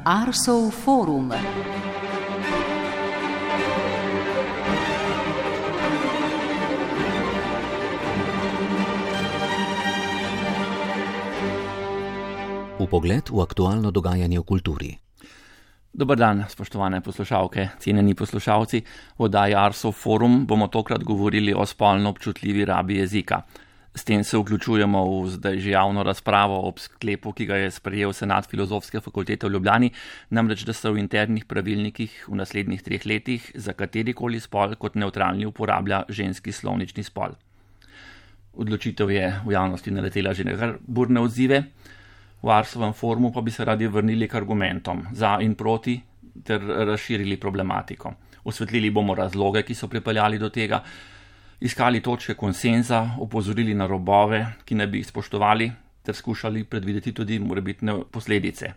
Arsov forum. Vpogled v aktualno dogajanje v kulturi. Dober dan, spoštovane poslušalke, cenjeni poslušalci. V oddaji Arsov forum bomo tokrat govorili o spolno občutljivi rabi jezika. S tem se vključujemo v zdaj že javno razpravo ob sklepu, ki ga je sprejel Senat Filozofske fakultete v Ljubljani, namreč da se v internih pravilnikih v naslednjih 3 letih za katerikoli spol kot nevtralni uporablja ženski slovnični spol. Odločitev je v javnosti naletela že na kar burne odzive. V Arsovem forumu pa bi se radi vrnili k argumentom za in proti ter razširili problematiko. Osvetlili bomo razloge, ki so pripeljali do tega, iskali točke konsenza, opozorili na robove, ki ne bi jih spoštovali, ter skušali predvideti tudi morebitne posledice.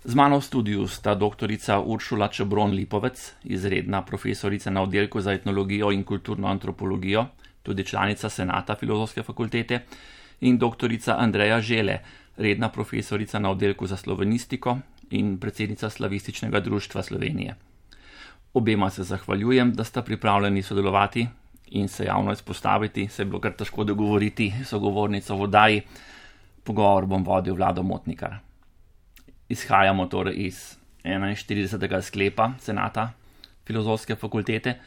Z mano v studiu sta doktorica Uršula Čebron-Lipovec, izredna profesorica na oddelku za etnologijo in kulturno antropologijo, tudi članica Senata Filozofske fakultete, in doktorica Andreja Žele, redna profesorica na oddelku za slovenistiko in predsednica Slavističnega društva Slovenije. Obema se zahvaljujem, da sta pripravljeni sodelovati in se javno izpostaviti, se je bilo kar težko dogovoriti sogovornico v oddaji. Pogovor bom vodil Vlado Motnikar. Izhajamo torej iz 41. sklepa Senata Filozofske fakultete.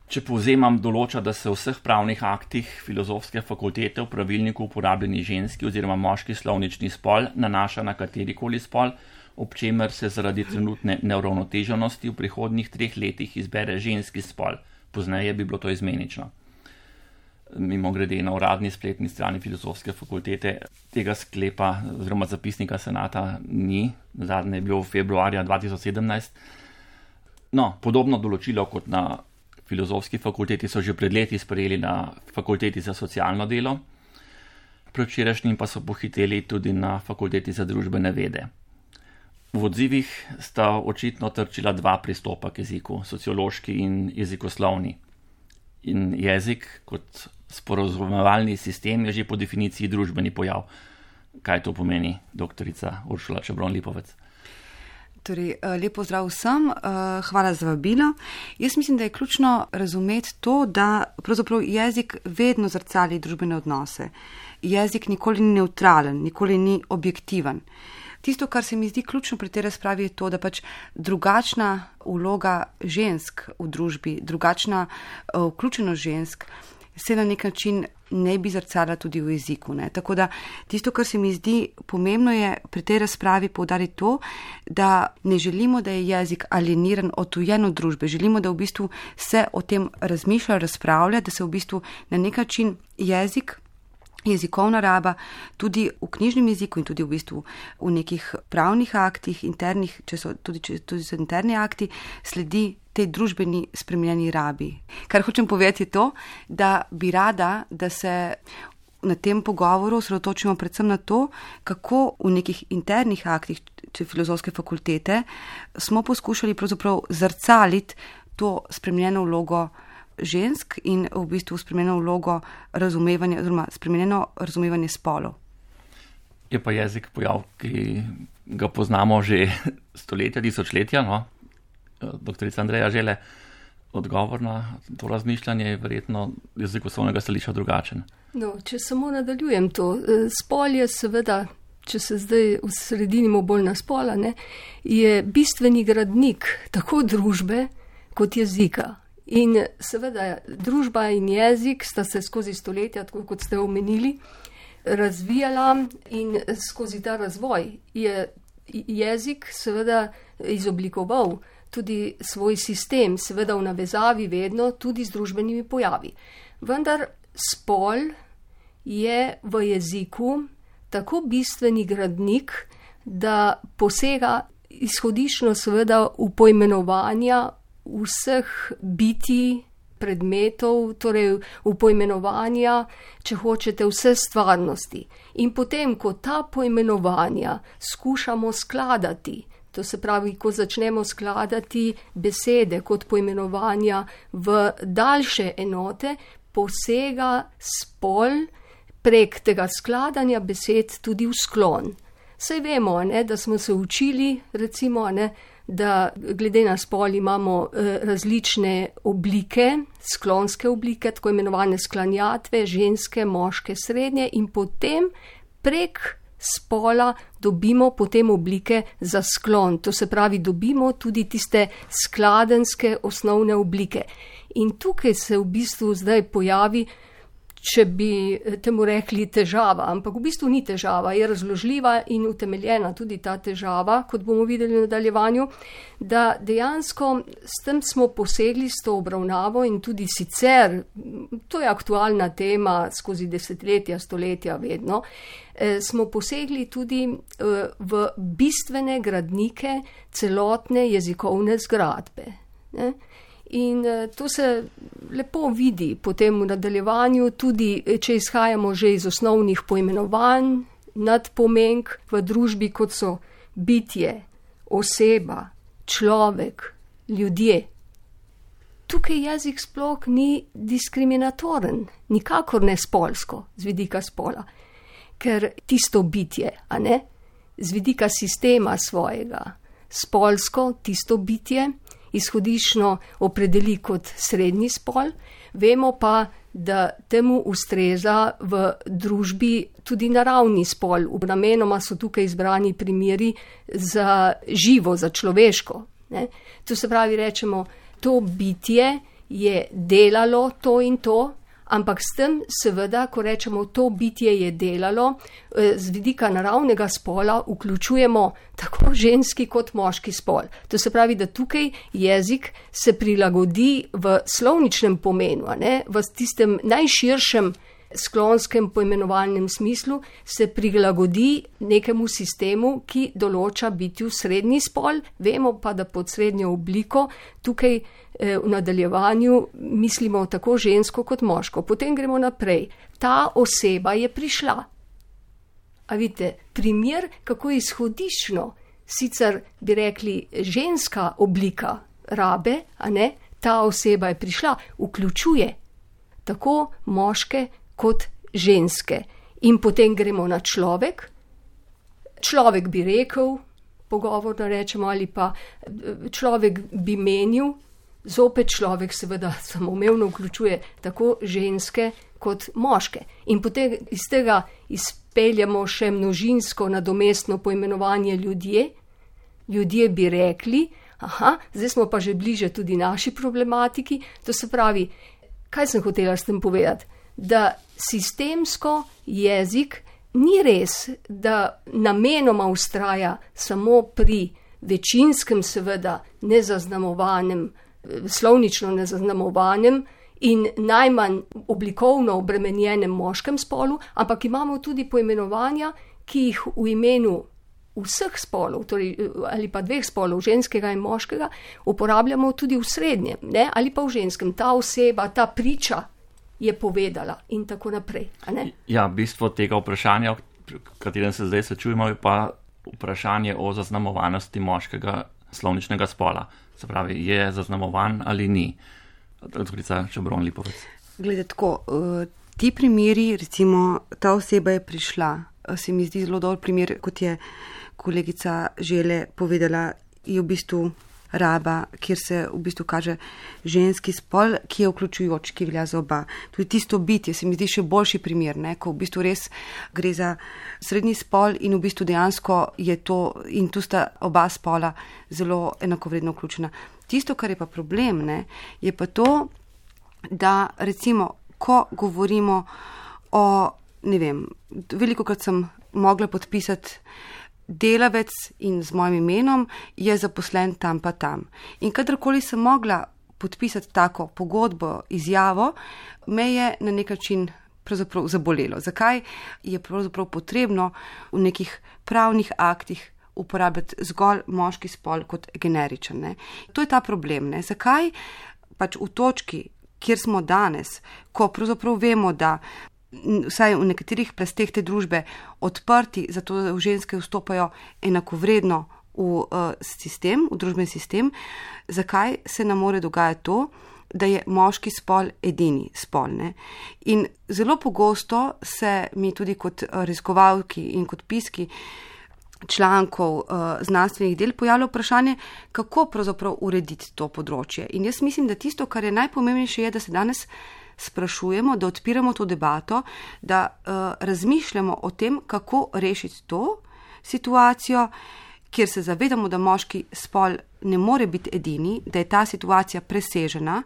Če povzemam, določa, da se v vseh pravnih aktih Filozofske fakultete v pravilniku uporabljeni ženski oziroma moški slovnični spol nanaša na katerikoli spol, ob čemer se zaradi trenutne neuravnoteženosti v prihodnjih 3 letih izbere ženski spol. Pozneje bi bilo to izmenično. Mimogrede, na uradni spletni strani Filozofske fakultete tega sklepa oziroma zapisnika Senata ni, zadnje je bilo februarja 2017. No, podobno določilo kot na Filozofski fakulteti so že pred leti sprejeli na Fakulteti za socialno delo, predvčerajšnjim pa so pohiteli tudi na Fakulteti za družbene vede. V odzivih sta očitno trčila 2 pristopa k jeziku, sociološki in jezikoslovni. In jezik kot sporazumevalni sistem je že po definiciji družbeni pojav. Kaj to pomeni, doktorica Uršula Čebron-Lipovec? Torej, lepo zdrav vsem, hvala za vabilo. Jaz mislim, da je ključno razumeti to, da pravzaprav jezik vedno zrcali družbene odnose. Jezik nikoli ni neutralen, nikoli ni objektiven. Tisto, kar se mi zdi ključno pri tej razpravi, je to, da pač drugačna vloga žensk v družbi, drugačna vključenost žensk se na nek način ne bi zrcala tudi v jeziku. Ne? Tako da tisto, kar se mi zdi pomembno, je pri tej razpravi poudariti to, da ne želimo, da je jezik alieniran, odtujen od družbe. Želimo, da v bistvu se o tem razmišlja, razpravlja, da se v bistvu na nek način jezikovna raba tudi v knjižnem jeziku in tudi v bistvu v nekih pravnih aktih, internih, če so interni akti, sledi tej družbeni spremenjeni rabi. Kar hočem povedati je to, da bi rada, da se na tem pogovoru osredotočimo predvsem na to, kako v nekih internih aktih Filozofske fakultete smo poskušali pravzaprav zrcaliti to spremenjeno vlogo žensk in v bistvu spremenjeno vlogo razumevanja oziroma spremenjeno razumevanje spolov. Je pa jezik pojav, ki ga poznamo že stoletja, tisočletja, no? Doktorica Andreja Žele, odgovor na to razmišljanje je verjetno jezikoslovnega stališča drugačen. No, če samo nadaljujem to, spol je seveda, če se zdaj osredinimo bolj na spola, ne, je bistveni gradnik tako družbe kot jezika. In seveda družba in jezik sta se skozi stoletja, tako kot ste omenili, razvijala in skozi ta razvoj je jezik seveda izoblikoval tudi svoj sistem, seveda v navezavi vedno tudi z družbenimi pojavi. Vendar spol je v jeziku tako bistveni gradnik, da posega izhodiščno seveda v poimenovanja vseh bitij, predmetov, torej v poimenovanja, če hočete, vse stvarnosti. In potem, ko ta poimenovanja skušamo skladati, to se pravi, ko začnemo skladati besede kot poimenovanja v daljše enote, posega spol prek tega skladanja besed tudi v sklon. Saj vemo, ne, da smo se učili, recimo, ne, da glede na spol imamo različne oblike, sklonske oblike, tako imenovane sklanjatve, ženske, moške, srednje, in potem prek spola dobimo potem oblike za sklon. To se pravi, dobimo tudi tiste skladenske osnovne oblike. In tukaj se v bistvu zdaj pojavi, če bi temu rekli težava, ampak v bistvu ni težava, je razložljiva in utemeljena tudi ta težava, kot bomo videli v nadaljevanju, da dejansko s tem smo posegli s to obravnavo in tudi sicer, to je aktualna tema skozi desetletja, stoletja vedno, smo posegli tudi v bistvene gradnike celotne jezikovne zgradbe. Ne? In to se lepo vidi potem v nadaljevanju, tudi če izhajamo že iz osnovnih poimenovanj, nadpomenk v družbi, kot so bitje, oseba, človek, ljudje. Tukaj jezik sploh ni diskriminatoren, nikakor ne spolsko, z vidika spola, ker tisto bitje, a ne, z vidika sistema svojega, spolsko tisto bitje, izhodiščno opredeli kot srednji spol, vemo pa, da temu ustreza v družbi tudi naravni spol. Namenoma so tukaj izbrani primeri za živo, za človeško. Ne? To se pravi, rečemo, to bitje je delalo to in to, ampak s tem seveda, ko rečemo, to bitje je delalo, z vidika naravnega spola vključujemo tako ženski kot moški spol. To se pravi, da tukaj jezik se prilagodi v slovničnem pomenu, ne? V tistem najširšem sklonskem poimenovalnem smislu se prilagodi nekemu sistemu, ki določa bitju srednji spol, vemo pa, da pod srednjo obliko tukaj v nadaljevanju mislimo tako žensko kot moško. Potem gremo naprej. Ta oseba je prišla. A vidite, primer, kako izhodiščno, sicer bi rekli ženska oblika rabe, a ne, ta oseba je prišla, vključuje tako moške kot ženske. In potem gremo na človek. Človek bi rekel, pogovorno rečemo, ali pa človek bi menil, zopet človek seveda samoumevno vključuje tako ženske kot moške. In potem iz tega izpeljamo še množinsko nadomestno poimenovanje ljudje. Ljudje bi rekli, aha, zdaj smo pa že bliže tudi naši problematiki. To se pravi, kaj sem hotela s tem povedati? Da sistemsko jezik ni res, da namenoma vztraja samo pri večinskem, seveda nezaznamovanem, slovnično nezaznamovanem in najmanj oblikovno obremenjenem moškem spolu, ampak imamo tudi poimenovanja, ki jih v imenu vseh spolov, torej, ali pa dveh spolov, ženskega in moškega, uporabljamo tudi v srednjem, ne? Ali pa v ženskem. Ta oseba, ta priča je povedala in tako naprej. A ne? Ja, bistvo tega vprašanja, v katerem se zdaj srečujemo, je pa vprašanje o zaznamovanosti moškega slovničnega spola. Se pravi, je zaznamovan ali ni. Doktorica Čebron Lipovec. Glede tako, ti primeri, recimo, ta oseba je prišla, se mi zdi zelo dober primer, kot je kolegica Žele povedala, je v bistvu raba, kjer se v bistvu kaže ženski spol, ki je vključujoč, ki velja za oba. Tudi tisto bitje se mi zdi še boljši primer, ne? Ko v bistvu res gre za srednji spol in v bistvu dejansko je to, in tu sta oba spola zelo enakovredno vključena. Tisto, kar je pa problem, ne, je pa to, da recimo, ko govorimo o, ne vem, velikokrat sem mogla podpisati delavec in z mojim imenom je zaposlen tam pa tam. In kadarkoli sem mogla podpisati tako pogodbo, izjavo, me je na nek način pravzaprav zabolelo. Zakaj je pravzaprav potrebno v nekih pravnih aktih uporabljati zgolj moški spol kot generičen, ne? To je ta problem, ne? Zakaj pač v točki, kjer smo danes, ko pravzaprav vemo, da vsaj v nekaterih plasteh te družbe odprti, zato da ženske vstopajo enakovredno v sistem, v družbeni sistem, zakaj se nam more dogajati to, da je moški spol edini spol, ne? In zelo pogosto se mi tudi kot raziskovalki in kot piski člankov, znanstvenih del pojavlja vprašanje, kako pravzaprav urediti to področje. In jaz mislim, da tisto, kar je najpomembnejše, je, da se danes sprašujemo, da odpiramo to debato, da razmišljamo o tem, kako rešiti to situacijo, kjer se zavedamo, da moški spol ne more biti edini, da je ta situacija presežena,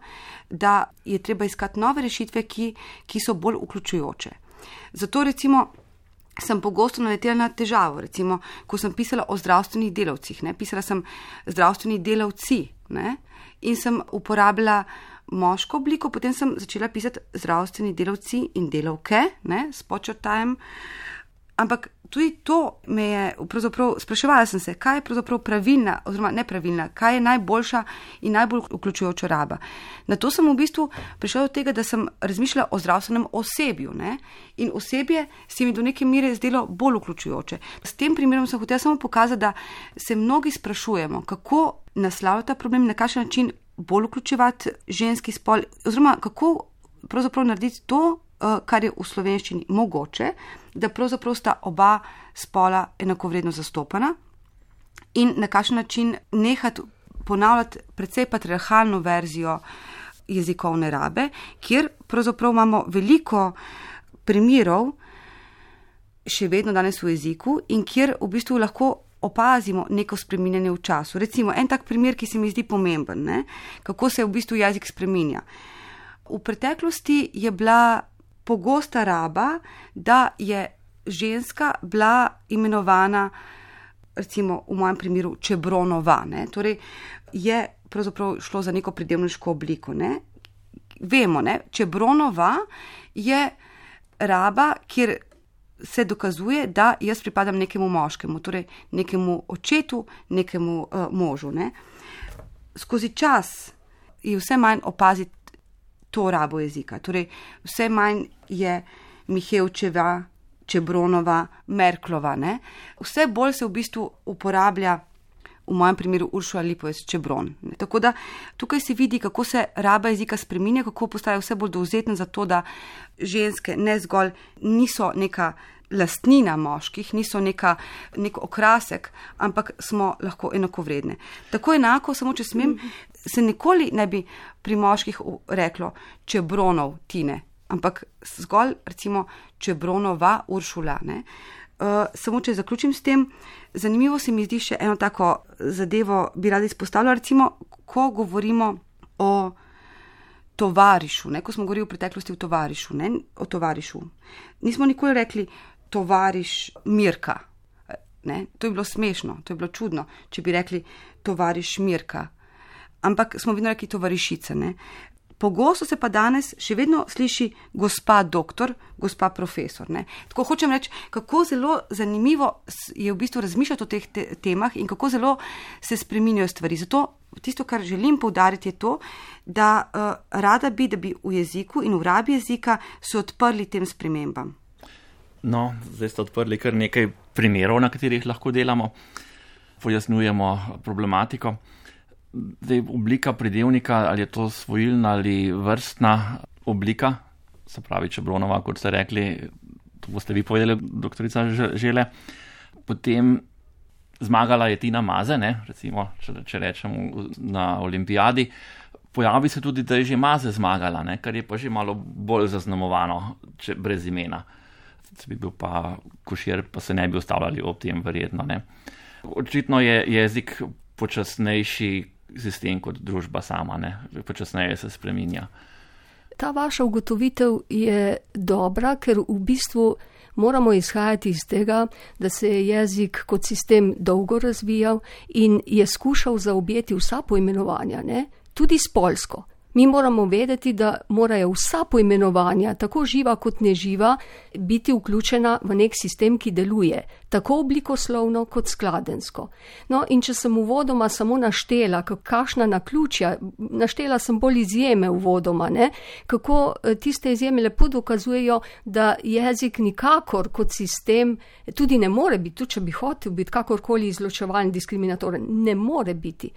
da je treba iskati nove rešitve, ki so bolj vključujoče. Zato recimo sem pogosto naletela na težavo, recimo, ko sem pisala o zdravstvenih delavcih, ne, pisala sem zdravstveni delavci, ne, in sem uporabljala moško obliko, potem sem začela pisati zdravstveni delavci in delavke, ne, s podčrtajem, ampak tudi to me je, pravzaprav spraševala sem se, kaj je pravzaprav pravilna, oziroma nepravilna, kaj je najboljša in najbolj vključujoča raba. Na to sem v bistvu prišla do tega, da sem razmišljala o zdravstvenem osebju, ne? In osebje se mi do neke mere zdelo bolj vključujoče. S tem primerom sem hotela samo pokazati, da se mnogi sprašujemo, kako naslavljati ta problem, na kakšen način bolj vključevati ženski spol, oziroma kako pravzaprav narediti to, kar je v slovenščini mogoče, da pravzaprav sta oba spola enakovredno zastopana in na kakšen način nehati ponavljati precej patriarhalno verzijo jezikovne rabe, kjer pravzaprav imamo veliko primerov še vedno danes v jeziku in kjer v bistvu lahko opazimo neko spreminjanje v času. Recimo, en tak primer, ki se mi zdi pomemben, ne? Kako se v bistvu jezik spreminja. V preteklosti je bila pogosta raba, da je ženska bila imenovana, recimo v mojem primeru, čebronova, ne? Torej je pravzaprav šlo za neko pridevniško obliko, ne? Vemo, ne? Čebronova je raba, kjer se dokazuje, da jaz pripadam nekemu moškemu, torej nekemu očetu, nekemu možu, ne? Skozi čas je vse manj opaziti to rabo jezika. Torej, vse manj je Mihevčeva, Čebronova, Merklova, ne? Vse bolj se v bistvu uporablja, v mojem primeru, Uršula Lipovec Čebron. Ne? Tako da tukaj se vidi, kako se raba jezika spreminja, kako postaja vse bolj dovzetna za to, da ženske ne zgolj niso neka lastnina moških, niso nek okrasek, ampak smo lahko enakovredne. Tako enako, samo če smem, se nikoli ne bi pri moških reklo Čebronov Tine, ampak zgolj recimo Čebronova Uršula. Ne? Samo če zaključim s tem, zanimivo se mi zdi še eno tako zadevo, bi rada izpostavila, recimo, ko govorimo o tovarišu, ne? Ko smo govorili v preteklosti o tovarišu, nismo nikoli rekli tovariš Mirka. Ne? To je bilo smešno, to je bilo čudno, če bi rekli tovariš Mirka. Ampak smo vedno rekli tovarišica. Ne? Pogosto se pa danes še vedno sliši gospa doktor, gospa profesor. Ne? Tako hočem reči, kako zelo zanimivo je v bistvu razmišljati o teh temah in kako zelo se spreminjajo stvari. Zato tisto, kar želim poudariti, je to, da rada bi, da bi v jeziku in v rabi jezika se odprli tem spremembam. No, zdaj ste odprli kar nekaj primerov, na katerih lahko delamo, pojasnjujemo problematiko. Zdaj, oblika pridevnika, ali je to svojilna ali vrstna oblika, se pravi Čebronova, kot ste rekli, to boste vi povedali, doktorica Žele. Potem zmagala je Tina Maze, ne? Recimo, če rečemo na olimpijadi. Pojavi se tudi, da je že Maze zmagala, ne? Kar je pa že malo bolj zaznamovano, če brez imena. Če bi bil pa Košir, pa se ne bi ustavljali ob tem verjetno. Ne? Očitno je jezik počasnejši sistem kot družba sama, ne? Počasneje se spreminja. Ta vaša ugotovitev je dobra, ker v bistvu moramo izhajati iz tega, da se je jezik kot sistem dolgo razvijal in je skušal zaobjeti vsa poimenovanja, ne? Tudi spolsko. Mi moramo vedeti, da morajo vsa poimenovanja, tako živa kot neživa, biti vključena v nek sistem, ki deluje, tako oblikoslovno kot skladensko. No, in če sem uvodoma samo naštela, kakšna naključja, naštela sem bolj izjeme uvodoma, ne? Kako tiste izjeme lepo dokazujejo, da jezik nikakor kot sistem tudi ne more biti, tudi če bi hotel biti kakorkoli izločevalen, diskriminatoren, ne more biti.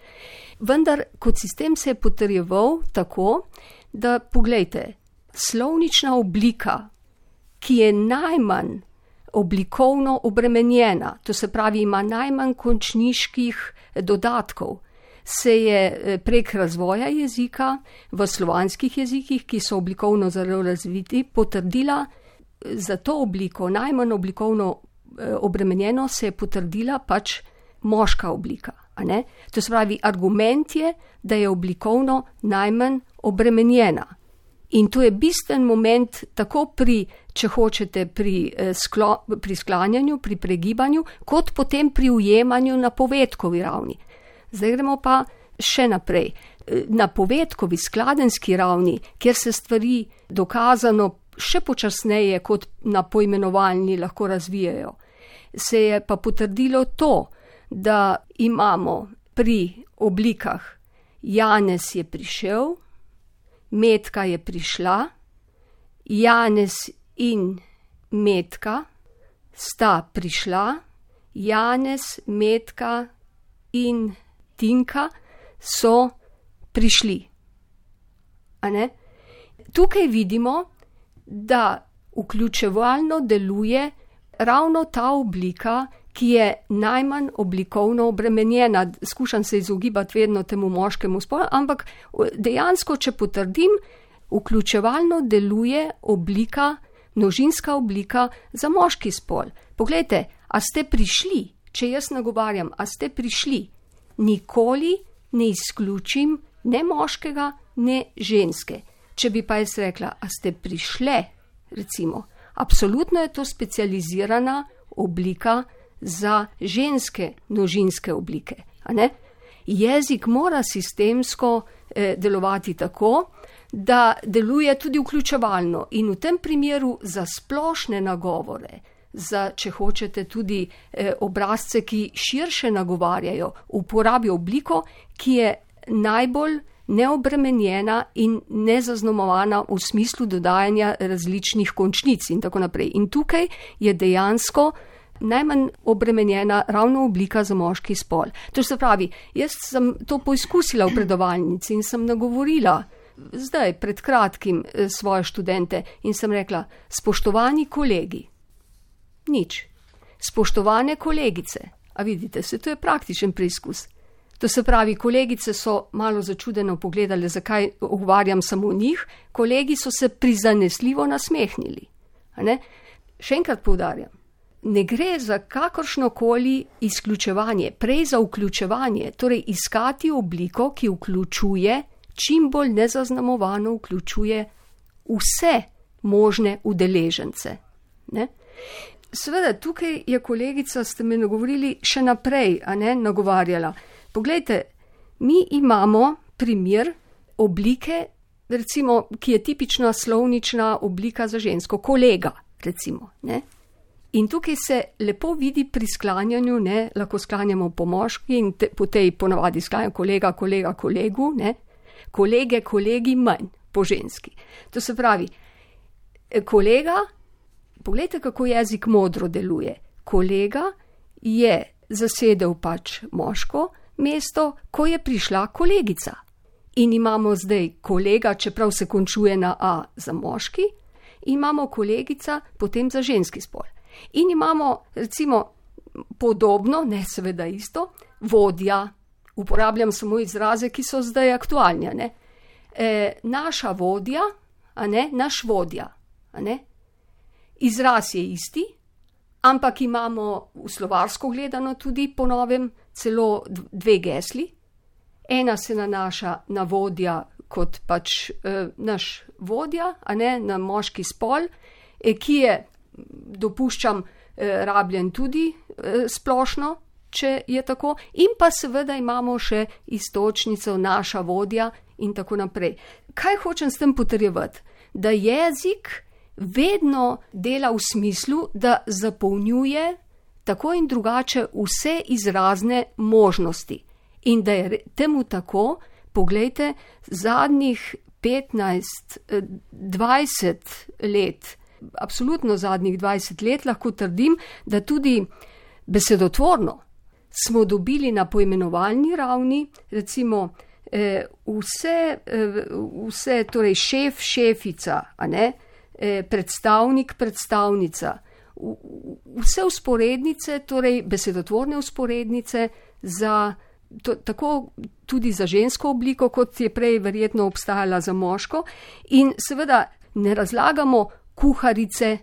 Vendar kot sistem se je potrjeval tako, da poglejte, slovnična oblika, ki je najmanj oblikovno obremenjena, to se pravi, ima najmanj končniških dodatkov, se je prek razvoja jezika v slovanskih jezikih, ki so oblikovno zelo razviti, potrdila za to obliko, najmanj oblikovno obremenjeno, se je potrdila pač moška oblika. A ne? To se pravi, argument je, da je oblikovno najmanj obremenjena. In to je bistven moment tako pri, če hočete, pri sklanjanju, pri pregibanju, kot potem pri ujemanju na povedkovi ravni. Zdaj gremo pa še naprej. Na povedkovi, skladenski ravni, kjer se stvari dokazano še počasneje kot na poimenovalni lahko razvijajo, se je pa potrdilo to, da imamo pri oblikah Janez je prišel, Metka je prišla, Janez in Metka sta prišla, Janez, Metka in Tinka so prišli. A ne? Tukaj vidimo, da vključevalno deluje ravno ta oblika, ki je najmanj oblikovno obremenjena. Skušam se izogibati vedno temu moškemu spolu, ampak dejansko, če potrdim, vključevalno deluje oblika, množinska oblika za moški spol. Poglejte, a ste prišli, če jaz nagovarjam, a ste prišli, nikoli ne izključim ne moškega, ne ženske. Če bi pa jaz rekla, a ste prišle, recimo, absolutno je to specializirana oblika za ženske množinske oblike. A ne? Jezik mora sistemsko delovati tako, da deluje tudi vključevalno in v tem primeru za splošne nagovore, za, če hočete, tudi obrazce, ki širše nagovarjajo, uporabi obliko, ki je najbolj neobremenjena in nezaznamovana v smislu dodajanja različnih končnic in tako naprej. In tukaj je dejansko najmanj obremenjena ravno oblika za moški spol. To se pravi, jaz sem to poizkusila v predavalnici in sem nagovorila zdaj pred kratkim svoje študente in sem rekla, spoštovani kolegi, nič, spoštovane kolegice, a vidite, to je praktičen preizkus. To se pravi, kolegice so malo začudeno pogledali, zakaj ogovarjam samo njih, kolegi so se prizanesljivo nasmehnili. A ne? Še enkrat poudarjam, ne gre za kakršnokoli izključevanje, prej za vključevanje, torej iskati obliko, ki vključuje, čim bolj nezaznamovano vključuje vse možne udeležence. Ne? Seveda, tukaj je kolegica, ste me nagovorili, še naprej, a ne, nagovarjala. Poglejte, mi imamo primer oblike, recimo, ki je tipična slovnična oblika za žensko, kolega, recimo, ne? In tukaj se lepo vidi pri sklanjanju, ne, lahko sklanjamo po moški in po tej ponavadi sklanjamo kolega, kolega, kolegu, ne, kolege, kolegi manj po ženski. To se pravi, kolega, poglejte, kako jezik modro deluje. Kolega je zasedel pač moško mesto, ko je prišla kolegica. In imamo zdaj kolega, čeprav se končuje na A za moški, imamo kolegica potem za ženski spol. In imamo, recimo, podobno, ne seveda isto, vodja, uporabljam samo izraze, ki so zdaj aktualni, ne? Naša vodja, a ne, naš vodja, a ne? Izraz je isti, ampak imamo v slovarsko gledano tudi po novem celo dve gesli. Ena se nanaša na vodja kot pač naš vodja, a ne, na moški spol, ki je, dopuščam, rabljen tudi splošno, če je tako, in pa seveda imamo še istočnico naša vodja in tako naprej. Kaj hočem s tem potrjevati? Da jezik vedno dela v smislu, da zapolnjuje tako in drugače vse izrazne možnosti. In da je temu tako, poglejte, zadnjih 15-20 let, absolutno zadnjih 20 let lahko trdim, da tudi besedotvorno smo dobili na poimenovalni ravni, recimo vse torej šef, šefica, a ne, predstavnik, predstavnica, vse usporednice, torej besedotvorne usporednice tako tudi za žensko obliko, kot je prej verjetno obstajala za moško. In seveda ne razlagamo kuharice,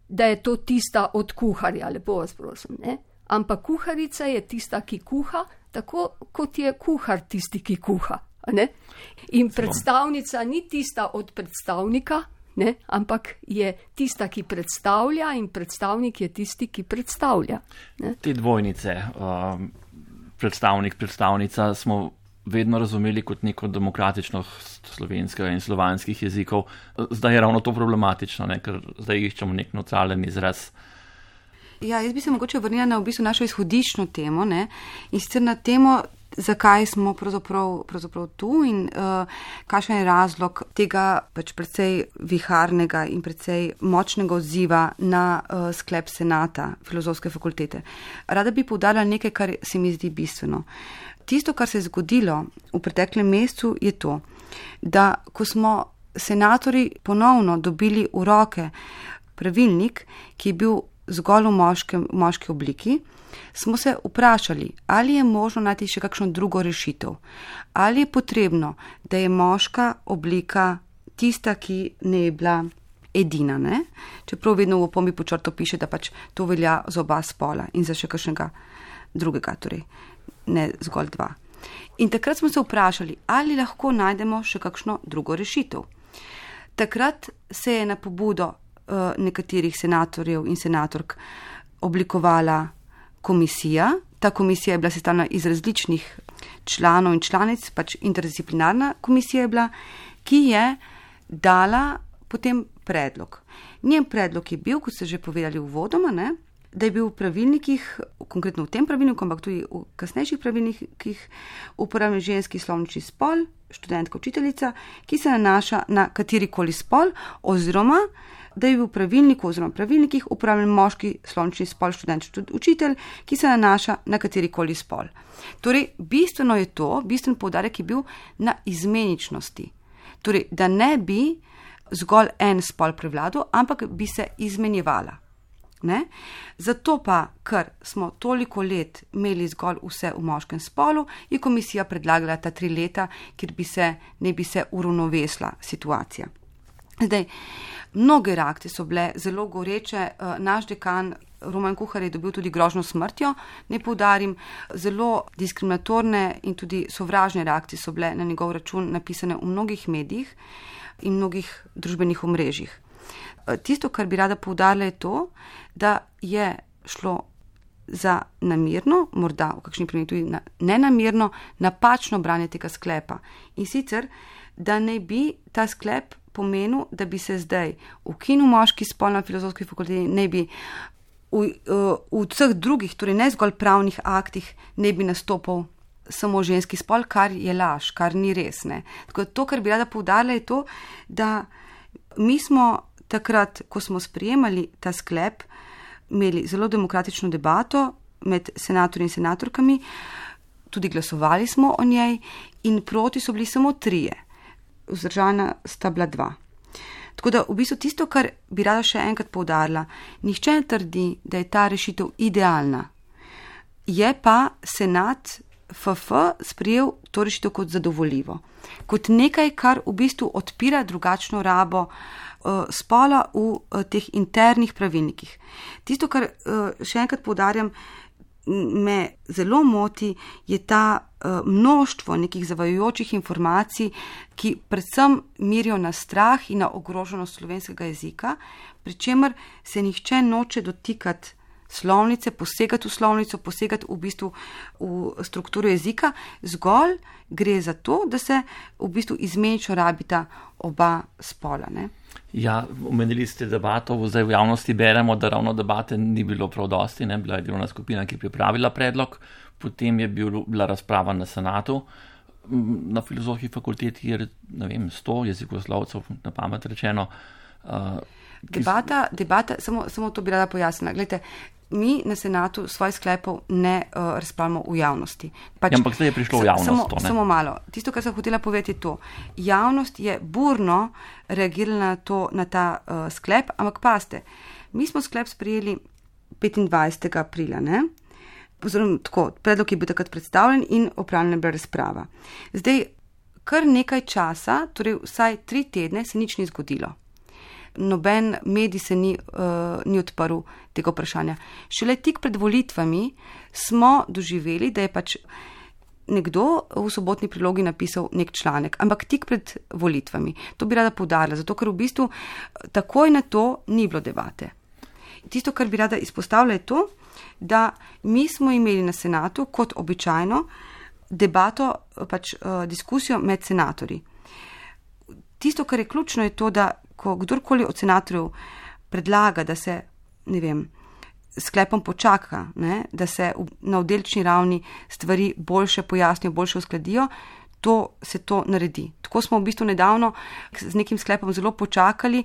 da je to tista od kuharja, lepo vas prosim, ne? Ampak kuharica je tista, ki kuha, tako kot je kuhar tisti, ki kuha. Ne? In predstavnica ni tista od predstavnika, ne? Ampak je tista, ki predstavlja, in predstavnik je tisti, ki predstavlja. Ne? Te dvojnice, predstavnik, predstavnica, smo vedno razumeli kot neko demokratičnost slovenskega in slovanskih jezikov. Zdaj je ravno to problematično, ne? Ker zdaj iščemo nek neutralen izraz. Ja, jaz bi se mogoče vrnila na v bistvu našo izhodiščno temo, ne? In sicer na temo, zakaj smo pravzaprav tu in kakšen je razlog tega pač precej viharnega in precej močnega odziva na sklep senata Filozofske fakultete. Rada bi poudarila nekaj, kar se mi zdi bistveno. Tisto, kar se je zgodilo v preteklem mesecu, je to, da ko smo senatorji ponovno dobili v roke pravilnik, ki je bil zgolj v moški obliki, smo se vprašali, ali je možno najti še kakšno drugo rešitev, ali je potrebno, da je moška oblika tista, ki ne je bila edina, ne? Čeprav vedno v opombi pod črto piše, da pač to velja za oba spola in za še kakšnega drugega, torej ne zgolj dva. In takrat smo se vprašali, ali lahko najdemo še kakšno drugo rešitev. Takrat se je na pobudo nekaterih senatorjev in senatork oblikovala komisija. Ta komisija je bila sestavljena iz različnih članov in članic, pač interdisciplinarna komisija je bila, ki je dala potem predlog. Njen predlog je bil, kot ste že povedali uvodoma, ne, da je bil v pravilnikih, konkretno v tem pravilniku, ampak tudi v kasnejših pravilnikih, uporabljen ženski slovnični spol, študentka, učiteljica, ki se nanaša na katerikoli spol, oziroma da je bil v pravilniku oziroma pravilnikih uporabljen moški slovnični spol, študent, učitelj, ki se nanaša na katerikoli spol. Torej, bistven poudarek je bil na izmeničnosti. Torej, da ne bi zgolj en spol prevladal, ampak bi se izmenjevala. Ne? Zato pa, ker smo toliko let imeli zgolj vse v moškem spolu, je komisija predlagala ta 3 leta, kjer ne bi se uravnovesila situacija. Zdaj, mnoge reakcije so bile zelo goreče. Naš dekan Roman Kuhar je dobil tudi grožnjo smrtjo, ne poudarim, zelo diskriminatorne in tudi sovražne reakcije so bile na njegov račun napisane v mnogih medijih in mnogih družbenih omrežjih. Tisto, kar bi rada poudarila, je to, da je šlo za namerno, morda v kakšni primeru tudi nenamerno, napačno branje tega sklepa. In sicer, da ne bi ta sklep pomenil, da bi se zdaj ukinil moški spol na Filozofski fakulteti, ne bi v vseh drugih, torej ne zgolj pravnih aktih, ne bi nastopil samo ženski spol, kar je laž, kar ni res. Ne. Tako to, kar bi rada poudarila, je to, da mi smo takrat, ko smo sprejemali ta sklep, imeli zelo demokratično debato med senatorji in senatorkami, tudi glasovali smo o njej in proti so bili samo 3, vzdržana sta bila 2. Tako da v bistvu tisto, kar bi rada še enkrat poudarila, nihče ne trdi, da je ta rešitev idealna. Je pa senat FF sprejel to rešitev kot zadovoljivo, kot nekaj, kar v bistvu odpira drugačno rabo spola v teh internih pravilnikih. Tisto, kar še enkrat poudarjam, me zelo moti, je ta množstvo nekih zavajajočih informacij, ki predvsem mirijo na strah in na ogroženost slovenskega jezika, pri čemer se nihče noče dotikati slovnice, posegati v slovnico, posegati v bistvu v strukturo jezika, zgolj gre za to, da se v bistvu izmenično rabita oba spola. Ne? Ja, omenili ste debato, zdaj v javnosti beremo, da ravno debate ni bilo prav dosti, ne? Bila je delovna skupina, ki je pripravila predlog, potem je bila razprava na senatu, na Filozofski fakulteti je, ne vem, 100 jezikoslovcev, na pamet rečeno. Debata, samo to bi rada pojasnila. Glejte, mi na senatu svojih sklepov ne razpravljamo v javnosti. Pač, ja, ampak zdaj je prišlo v javnost. Samo malo. Tisto, kar sem hotela povedati, je to. Javnost je burno reagirala na ta sklep, ampak pazite, Mi smo sklep sprejeli 25. aprila, ne? Oziroma, tako, predlog je bil takrat predstavljen in opravljena je bila razprava. Zdaj, kar nekaj časa, torej vsaj 3 tedne, se nič ni zgodilo. Noben medij se ni odprl tega vprašanja. Šele tik pred volitvami smo doživeli, da je pač nekdo v Sobotni prilogi napisal nek članek, ampak tik pred volitvami. To bi rada poudarila, zato ker v bistvu takoj na to ni bilo debate. Tisto, kar bi rada izpostavila, je to, da mi smo imeli na senatu kot običajno debato, pač diskusijo med senatorji. Tisto, kar je ključno, je to, da ko kdorkoli od senatorjev predlaga, da se, ne vem, sklepom počaka, ne, da se na oddelčni ravni stvari boljše pojasnijo, boljše uskladijo, se to naredi. Tako smo v bistvu nedavno z nekim sklepom zelo počakali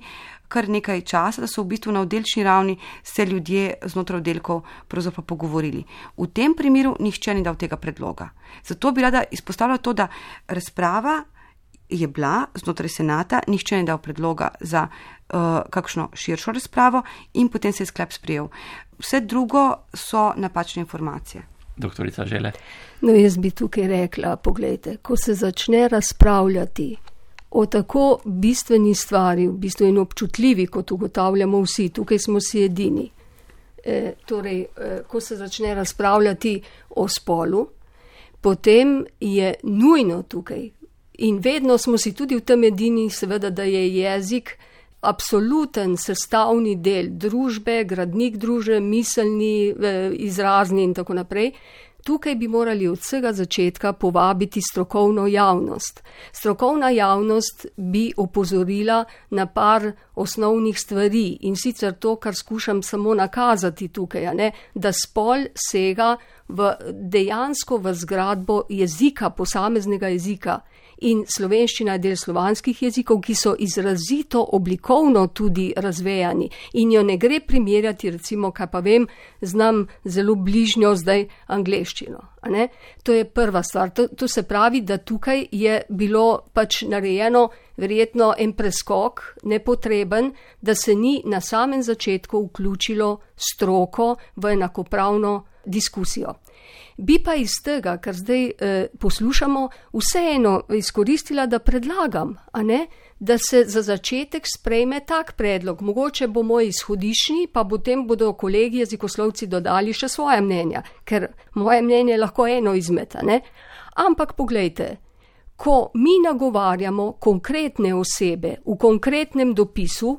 kar nekaj časa, da so v bistvu na oddelčni ravni se ljudje znotraj oddelkov pravzaprav pogovorili. V tem primeru nihče ni dal tega predloga. Zato bi rada izpostavila to, da razprava je bila znotraj senata, nihče ni dal predloga za kakšno širšo razpravo in potem se je sklep sprejel. Vse drugo so napačne informacije. Doktorica Žele. No, jaz bi tukaj rekla, poglejte, ko se začne razpravljati o tako bistveni stvari, v bistvu in občutljivi, kot ugotavljamo vsi, tukaj smo si edini. Ko se začne razpravljati o spolu, potem je nujno tukaj, in vedno smo si tudi v tem edini, seveda, da je jezik absoluten sestavni del družbe, gradnik družbe, miselni, izrazni in tako naprej. Tukaj bi morali od vsega začetka povabiti strokovno javnost. Strokovna javnost bi opozorila na par osnovnih stvari in sicer to, kar skušam samo nakazati tukaj, da spol sega dejansko v zgradbo jezika, posameznega jezika. In slovenščina je del slovanskih jezikov, ki so izrazito oblikovno tudi razvejani in jo ne gre primerjati, recimo, kaj pa vem, znam zelo bližnjo zdaj angleščino. To je prva stvar. To se pravi, da tukaj je bilo pač narejeno verjetno en preskok nepotreben, da se ni na samem začetku vključilo stroko v enakopravno diskusijo. Bi pa iz tega, kar zdaj poslušamo, vseeno izkoristila, da predlagam, da se za začetek sprejme tak predlog. Mogoče bo moj izhodiščni, pa potem bodo kolegi jezikoslovci dodali še svoje mnenja, ker moje mnenje je lahko eno izmed. Ampak poglejte, ko mi nagovarjamo konkretne osebe v konkretnem dopisu,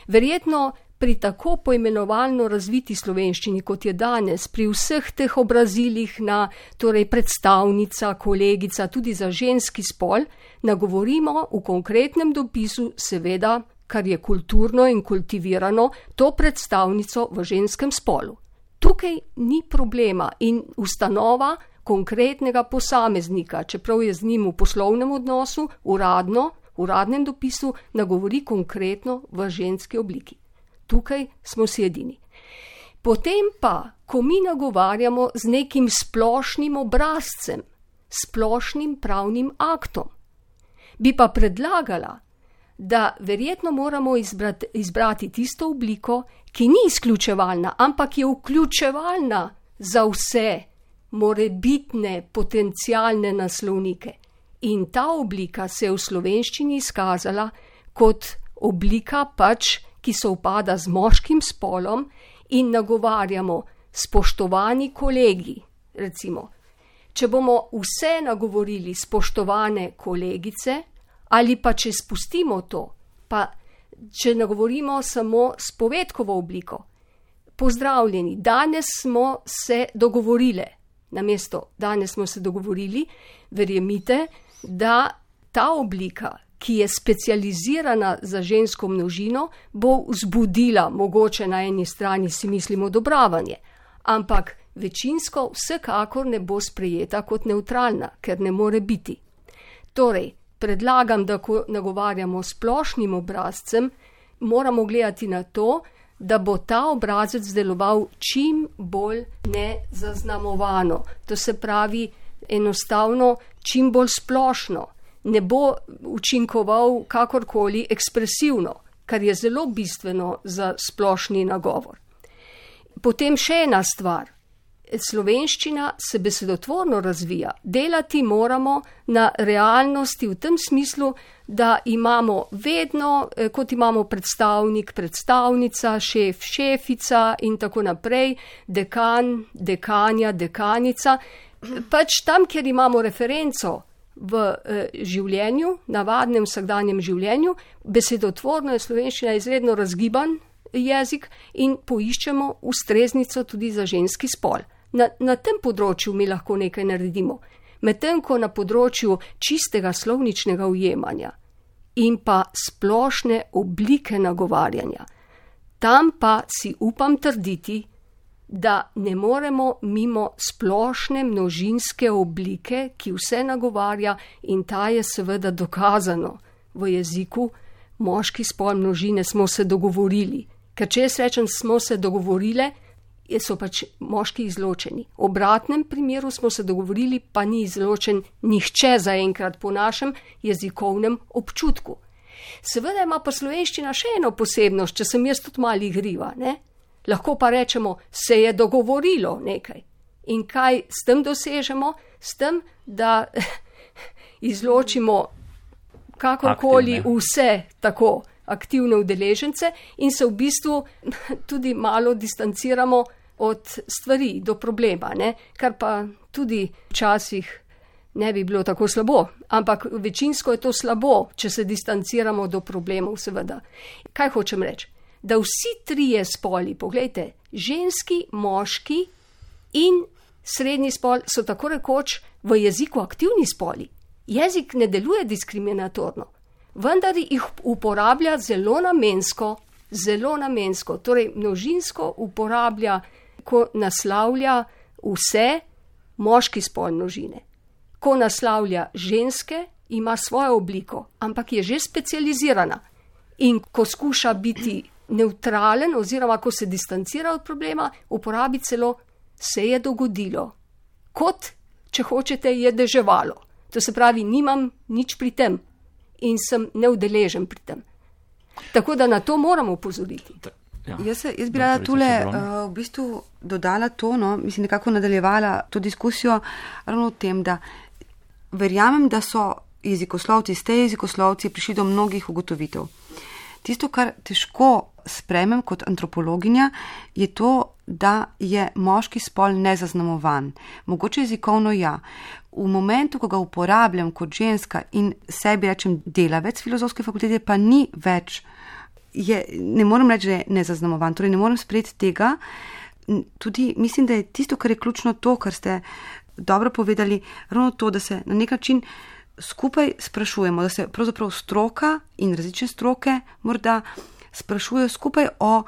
verjetno pri tako poimenovalno razviti slovenščini, kot je danes, pri vseh teh obrazilih na predstavnica, kolegica, tudi za ženski spol, nagovorimo v konkretnem dopisu, seveda, kar je kulturno in kultivirano, to predstavnico v ženskem spolu. Tukaj ni problema in ustanova konkretnega posameznika, čeprav je z njim v poslovnem odnosu, uradnem dopisu, nagovori konkretno v ženski obliki. Tukaj smo si edini. Potem pa, ko mi nagovarjamo z nekim splošnim obrazcem, splošnim pravnim aktom, bi pa predlagala, da verjetno moramo izbrati tisto obliko, ki ni izključevalna, ampak je vključevalna za vse morebitne potencialne naslovnike. In ta oblika se je v slovenščini izkazala kot oblika pač, ki se upada z moškim spolom in nagovarjamo spoštovani kolegi. Recimo, če bomo vse nagovorili spoštovane kolegice, ali pa če spustimo to, pa če nagovorimo samo s povedkovo obliko. Pozdravljeni, danes smo se dogovorile. Namesto danes smo se dogovorili, verjemite, da ta oblika, ki je specializirana za žensko množino, bo vzbudila, mogoče na eni strani si mislimo odobravanje, ampak večinsko vsekakor ne bo sprejeta kot nevtralna, ker ne more biti. Torej, predlagam, da ko nagovarjamo splošnim obrazcem, moramo gledati na to, da bo ta obrazec deloval čim bolj nezaznamovano. To se pravi enostavno čim bolj splošno. Ne bo učinkoval kakorkoli ekspresivno. kar je zelo bistveno za splošni nagovor. Potem še ena stvar. Slovenščina se besedotvorno razvija. Delati moramo na realnosti v tem smislu, da imamo vedno, kot imamo predstavnik, predstavnica, šef, šefica in tako naprej, dekan, dekanja, dekanica. Pač tam, kjer imamo referenco v življenju, navadnem vsakdanjem življenju, besedotvorno je slovenščina izredno razgiban jezik in poiščemo ustreznico tudi za ženski spol. Na tem področju mi lahko nekaj naredimo, medtem ko na področju čistega slovničnega ujemanja in pa splošne oblike nagovarjanja, tam pa si upam trditi, da ne moremo mimo splošne množinske oblike, ki vse nagovarja in ta je seveda dokazano v jeziku, moški spol množine smo se dogovorili, ker če jaz rečem smo se dogovorile, so pač moški izločeni. V obratnem primeru smo se dogovorili, pa ni izločen nihče zaenkrat po našem jezikovnem občutku. Seveda ima pa slovenščina še eno posebnost, če sem jaz tudi malo igriva, ne? Lahko pa rečemo, se je dogovorilo nekaj. In kaj s tem dosežemo? S tem, da izločimo kakorkoli vse tako aktivne udeležence in se v bistvu tudi malo distanciramo od stvari do problema, ne? Kar pa tudi včasih ne bi bilo tako slabo, ampak večinsko je to slabo, če se distanciramo do problemov, seveda. Kaj hočem reči? Da vsi trije spoli, poglejte, ženski, moški in srednji spol so tako rekoč v jeziku aktivni spoli. Jezik ne deluje diskriminatorno, vendar jih uporablja zelo namensko, torej množinsko uporablja, ko naslavlja vse, moški spol množine. Ko naslavlja ženske, ima svojo obliko, ampak je že specializirana. In ko skuša biti nevtralen oziroma ko se distancira od problema, uporabi celo se je dogodilo. Kot, če hočete, je deževalo. To se pravi, nimam nič pri tem. In sem neudeležen pri tem. Tako da na to moramo opozoriti. Ja. Jaz bi rada tule v bistvu dodala to, mislim, nekako nadaljevala to diskusijo ravno v tem, da verjamem, da so ste jezikoslovci prišli do mnogih ugotovitev. Tisto, kar težko spremem kot antropologinja, je to, da je moški spol nezaznamovan. Mogoče jezikovno ja. V momentu, ko ga uporabljam kot ženska in sebi rečem delavec filozofske fakultete, pa ni več, ne morem reči, da je nezaznamovan, torej ne morem sprejeti tega. Tudi mislim, da je tisto, kar je ključno to, kar ste dobro povedali, ravno to, da se na nek način skupaj sprašujemo, da se pravzaprav stroka in različne stroke morda sprašujejo skupaj o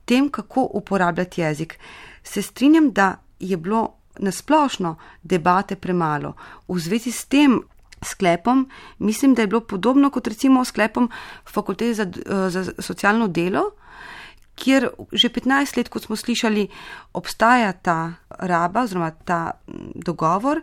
tem, kako uporabljati jezik. Se strinjam, da je bilo nasplošno debate premalo. V zvezi s tem sklepom mislim, da je bilo podobno kot recimo sklepom Fakultete za socialno delo, kjer že 15 let, kot smo slišali, obstaja ta raba oziroma ta dogovor,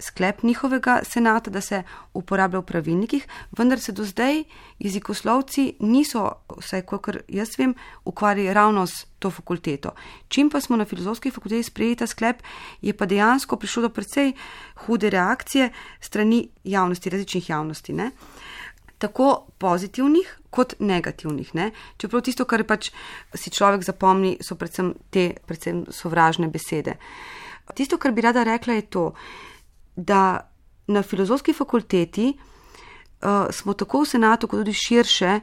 sklep njihovega senata, da se uporablja v pravilnikih, vendar se do zdaj jezikoslovci niso, vsaj kolikor jaz vem, ukvarjali ravno s to fakulteto. Čim pa smo na filozofski fakulteti sprejeli ta sklep, je pa dejansko prišlo do precej hude reakcije strani javnosti, različnih javnosti, ne? Tako pozitivnih kot negativnih, ne? Čeprav tisto, kar pač si človek zapomni, so predvsem sovražne besede. Tisto, kar bi rada rekla, je to, da na filozofski fakulteti smo tako v senatu, kot tudi širše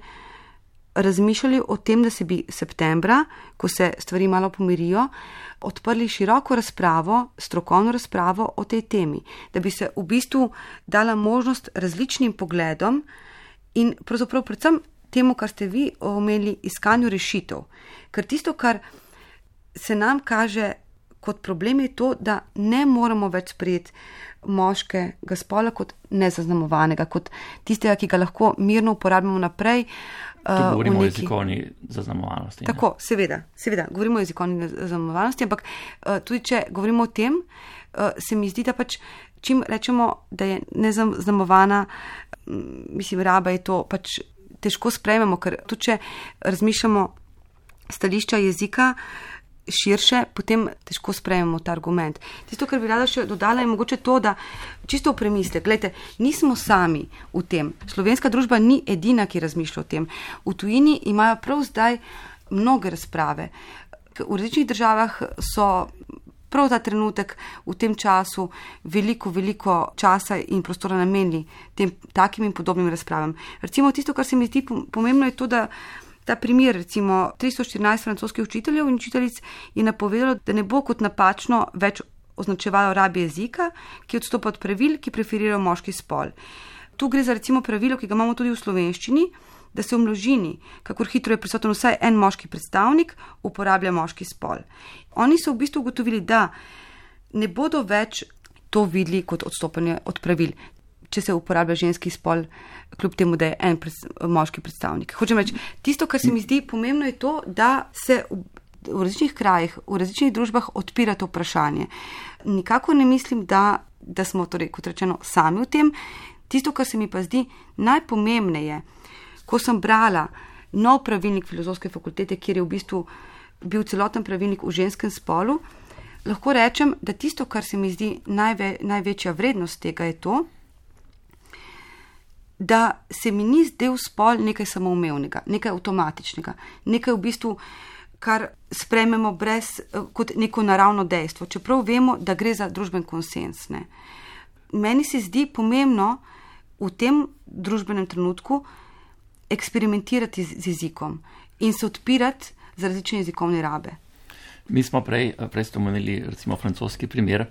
razmišljali o tem, da se bi septembra, ko se stvari malo pomirijo, odprli široko razpravo, strokovno razpravo o tej temi, da bi se v bistvu dala možnost različnim pogledom in pravzaprav predvsem temu, kar ste vi omenili, iskanju rešitev. Ker tisto, kar se nam kaže kot problem, je to, da ne moramo več sprejeti moškega spola kot nezaznamovanega, kot tistega, ki ga lahko mirno uporabljamo naprej. Tu govorimo o jezikovni zaznamovanosti. Tako, seveda, govorimo o jezikovni zaznamovanosti, ampak tudi če govorimo o tem, se mi zdi, da pač čim rečemo, da je nezaznamovana, mislim, raba je to pač težko sprejmemo, ker tudi če razmišljamo stališča jezika širše, potem težko sprejmemo ta argument. Tisto, kar bi rada še dodala, je mogoče to, da čisto v premislek, gledajte, nismo sami v tem. Slovenska družba ni edina, ki razmišlja o tem. V tujini imajo prav zdaj mnoge razprave. V različnih državah so prav ta trenutek v tem času veliko časa in prostora namenili tem takim in podobnim razpravam. Recimo tisto, kar se mi zdi pomembno, je to, da ta primer, recimo 314 francoskih učiteljev in učiteljic je napovedalo, da ne bo kot napačno več označevalo rabi jezika, ki odstopa od pravil, ki preferirajo moški spol. Tu gre za recimo pravilo, ki ga imamo tudi v slovenščini, da se v množini, kakor hitro je prisoten vsaj en moški predstavnik, uporablja moški spol. Oni so v bistvu ugotovili, da ne bodo več to videli kot odstopanje od pravil, če se uporablja ženski spol, kljub temu, da je en moški predstavnik. Hočem reči, tisto, kar se mi zdi pomembno, je to, da se v različnih krajih, v različnih družbah odpira to vprašanje. Nikako ne mislim, da smo, torej, kot rečeno, sami v tem. Tisto, kar se mi pa zdi najpomembneje, ko sem brala nov pravilnik Filozofske fakultete, kjer je v bistvu bil celoten pravilnik v ženskem spolu, lahko rečem, da tisto, kar se mi zdi največja vrednost tega, je to, da se mi ni zdel spol nekaj samoumevnega, nekaj avtomatičnega, nekaj v bistvu, kar sprejmemo kot neko naravno dejstvo, čeprav vemo, da gre za družben konsens. Ne. Meni se zdi pomembno v tem družbenem trenutku eksperimentirati z jezikom in se odpirati za različne jezikovne rabe. Mi smo prej ste omenili recimo francoski primer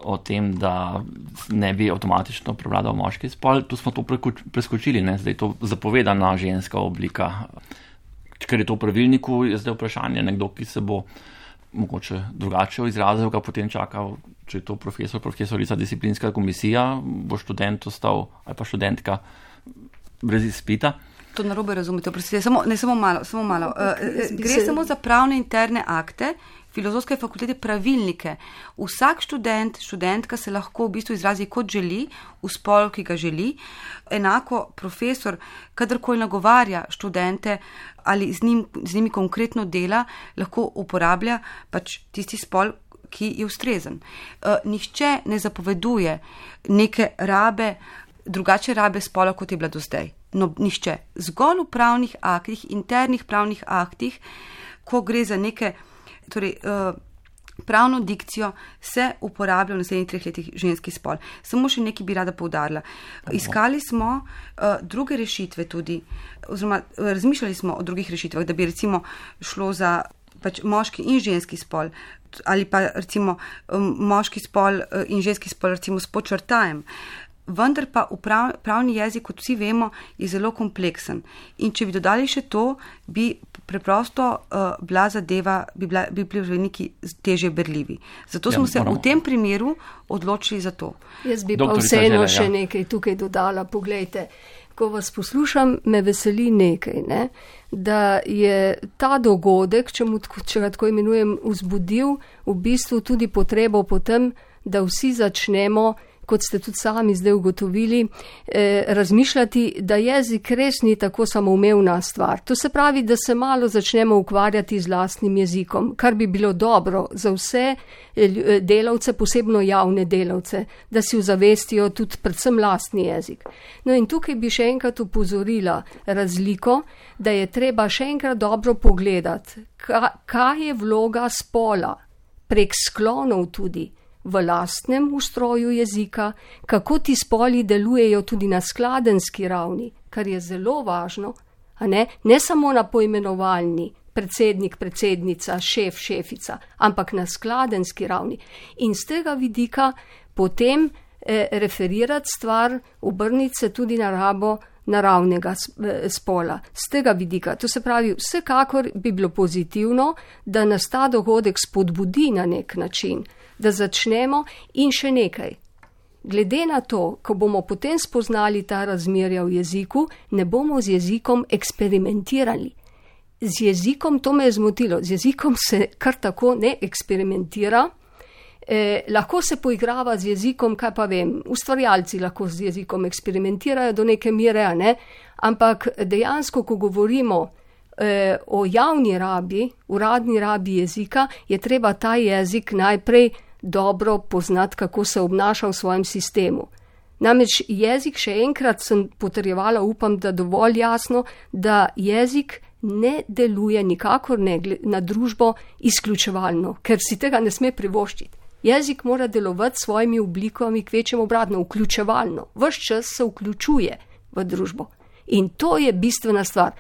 o tem, da ne bi avtomatično prevladal moški spol. Tu smo to preskočili, ne? Zdaj je to zapovedana ženska oblika. Ker je to v pravilniku, je zdaj vprašanje nekdo, ki se bo mogoče drugače izrazil, ga potem čakal, če je to profesorica disciplinska komisija, bo študent ostal ali pa študentka brez izpita. To narobe razumete, samo malo. Gre samo za pravne interne akte Filozofske fakultete, pravilnike. Vsak študent, študentka se lahko v bistvu izrazi kot želi, v spolu, ki ga želi. Enako profesor, kadarkoli nagovarja študente ali z njimi konkretno dela, lahko uporablja pač tisti spol, ki je ustrezen. Nihče ne zapoveduje neke drugače rabe spola, kot je bila do zdaj. No, nihče. Zgolj v pravnih aktih, internih pravnih aktih, ko gre za neke, torej, pravno dikcijo, se uporablja v naslednjih 3 letih ženski spol. Samo še nekaj bi rada poudarila. Iskali smo druge rešitve tudi, oziroma razmišljali smo o drugih rešitvah, da bi recimo šlo za pač moški in ženski spol, ali pa recimo moški spol in ženski spol recimo s podčrtajem. Vendar pa pravni jezik, kot vsi vemo, je zelo kompleksen. In če bi dodali še to, bi preprosto bila zadeva, bi bili neki težje berljivi. Zato smo se v tem primeru odločili za to. Jaz bi pa vseeno še nekaj tukaj dodala. Poglejte, ko vas poslušam, me veseli nekaj, ne? Da je ta dogodek, če ga tako imenujem, vzbudil v bistvu tudi potrebo po tem, da vsi začnemo, kot ste tudi sami zdaj ugotovili, razmišljati, da jezik res ni tako samoumevna stvar. To se pravi, da se malo začnemo ukvarjati z lastnim jezikom, kar bi bilo dobro za vse delavce, posebno javne delavce, da si ozavestijo tudi predvsem lastni jezik. No in tukaj bi še enkrat upozorila razliko, da je treba še enkrat dobro pogledati, kaj je vloga spola, prek sklonov tudi, v lastnem ustroju jezika, kako ti spoli delujejo tudi na skladenski ravni, kar je zelo važno, a ne samo na poimenovalni, predsednik, predsednica, šef, šefica, ampak na skladenski ravni. In z tega vidika potem referirati stvar, obrniti se tudi na rabo naravnega spola. Z tega vidika, to se pravi, vsekakor bi bilo pozitivno, da nas ta dogodek spodbudi na nek način, da začnemo in še nekaj. Glede na to, ko bomo potem spoznali ta razmerja v jeziku, ne bomo z jezikom eksperimentirali. Z jezikom, to me je zmotilo, z jezikom se kar tako ne eksperimentira, lahko se poigrava z jezikom, kaj pa vem, ustvarjalci lahko z jezikom eksperimentirajo do neke mere, ne? Ampak dejansko, ko govorimo o javni rabi, uradni rabi jezika, je treba ta jezik najprej dobro poznati, kako se obnaša v svojem sistemu. Namreč jezik, še enkrat sem potrjevala, upam, da dovolj jasno, da jezik ne deluje nikakor ne na družbo izključevalno, ker si tega ne sme privoščiti. Jezik mora delovati s svojimi oblikami, kvečjem obratno, vključevalno. Ves čas se vključuje v družbo. In to je bistvena stvar.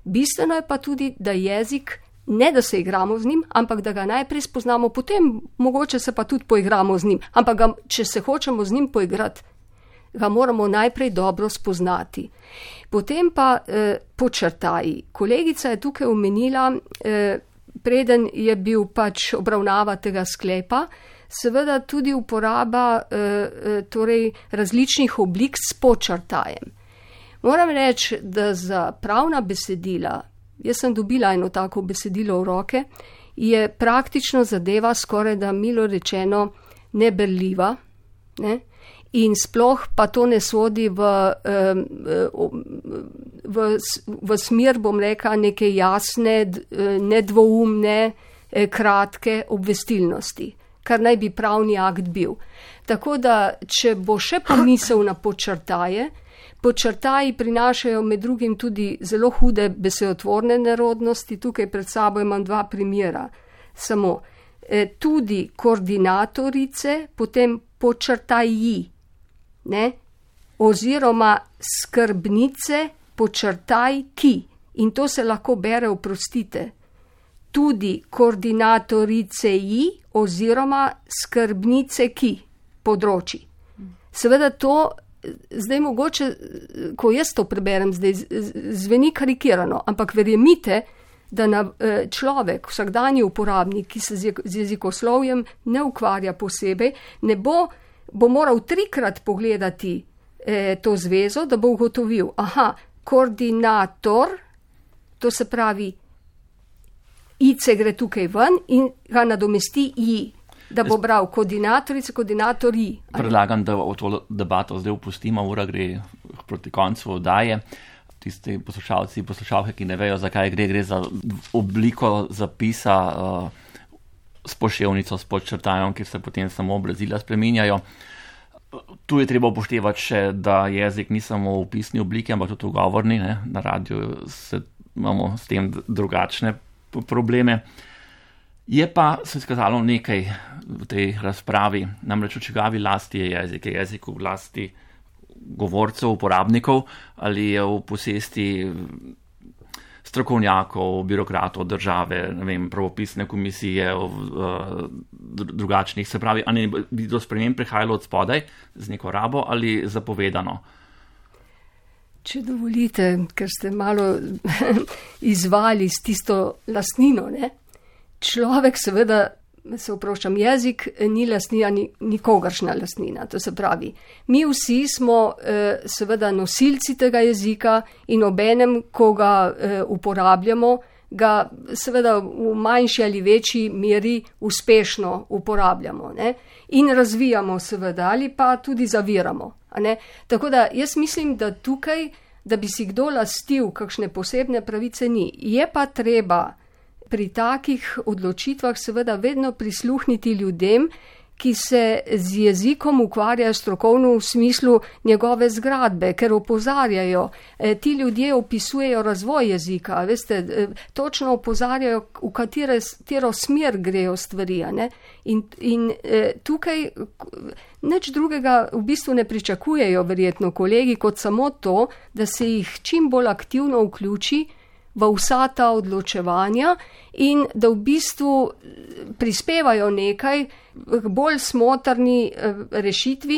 Bistveno je pa tudi, da jezik, ne da se igramo z njim, ampak da ga najprej spoznamo, potem mogoče se pa tudi poigramo z njim. Ampak če se hočemo z njim poigrati, ga moramo najprej dobro spoznati. Potem pa podčrtaji. Kolegica je tukaj omenila, preden je bil pač obravnava tega sklepa, seveda tudi uporaba torej različnih oblik s podčrtajem. Moram reči, da za pravna besedila, jaz sem dobila eno tako besedilo v roke, je praktično zadeva skoraj da milo rečeno neberljiva, ne? In sploh pa to ne sodi v smer, bom rekla, neke jasne, nedvoumne, kratke obvestilnosti, kar naj bi pravni akt bil. Tako da, če bo še pomisel na podčrtaje, podčrtaji prinašajo med drugim tudi zelo hude besedotvorne nerodnosti. Tukaj pred sabo imam 2 primera. Samo tudi koordinatorice, potem podčrtaji, ne? Oziroma skrbnice, podčrtaj ki. In to se lahko bere, oprostite, tudi koordinatorice ji oziroma skrbnice ki področji. Seveda to zdaj mogoče, ko jaz to preberem, zdaj zveni karikirano, ampak verjemite, da človek, vsakdanji uporabnik, ki se z jezikoslovjem ne ukvarja posebej, bo moral 3-krat pogledati to zvezo, da bo ugotovil, koordinator, to se pravi, ice gre tukaj ven in ga nadomesti i, da bo bral koordinatorice, koordinatorji. Predlagam, da v to debato zdaj upustimo, ura gre proti koncu oddaje. Tisti poslušalci, poslušalke, ki ne vejo, zakaj gre za obliko zapisa s poševnico, s podčrtajem, kjer se potem samo obrazila spreminjajo. Tu je treba upoštevati še, da jezik ni samo v pisni obliki, ampak tudi v govorni. Ne? Na radiju imamo s tem drugačne probleme. Je pa se izkazalo nekaj v tej razpravi, namreč v čigavi lasti je jezik. Je jezik v lasti govorcev, uporabnikov, ali je v posesti strokovnjakov, birokratov države, ne vem, pravopisne komisije, drugačnih, se pravi, ali bi do sprememb prihajalo od spodaj z neko rabo ali zapovedano? Če dovolite, ker ste malo izvali s tisto lastnino, ne? Človek seveda, se oproščam, jezik ni lastnina, nikogaršna lastnina, to se pravi. Mi vsi smo seveda nosilci tega jezika in obenem, ko ga uporabljamo, ga seveda v manjši ali večji meri uspešno uporabljamo, ne? In razvijamo seveda ali pa tudi zaviramo. Ne? Tako da jaz mislim, da tukaj, da bi si kdo lastil kakšne posebne pravice ni. Je pa treba pri takih odločitvah seveda vedno prisluhniti ljudem, ki se z jezikom ukvarjajo strokovno v smislu njegove zgradbe, ker opozarjajo. Ti ljudje opisujejo razvoj jezika, veste, točno opozarjajo, v katero smer grejo stvari. Ne? In tukaj nič drugega v bistvu ne pričakujejo verjetno kolegi, kot samo to, da se jih čim bolj aktivno vključi v vsa ta odločevanja in da v bistvu prispevajo nekaj k bolj smotrni rešitvi,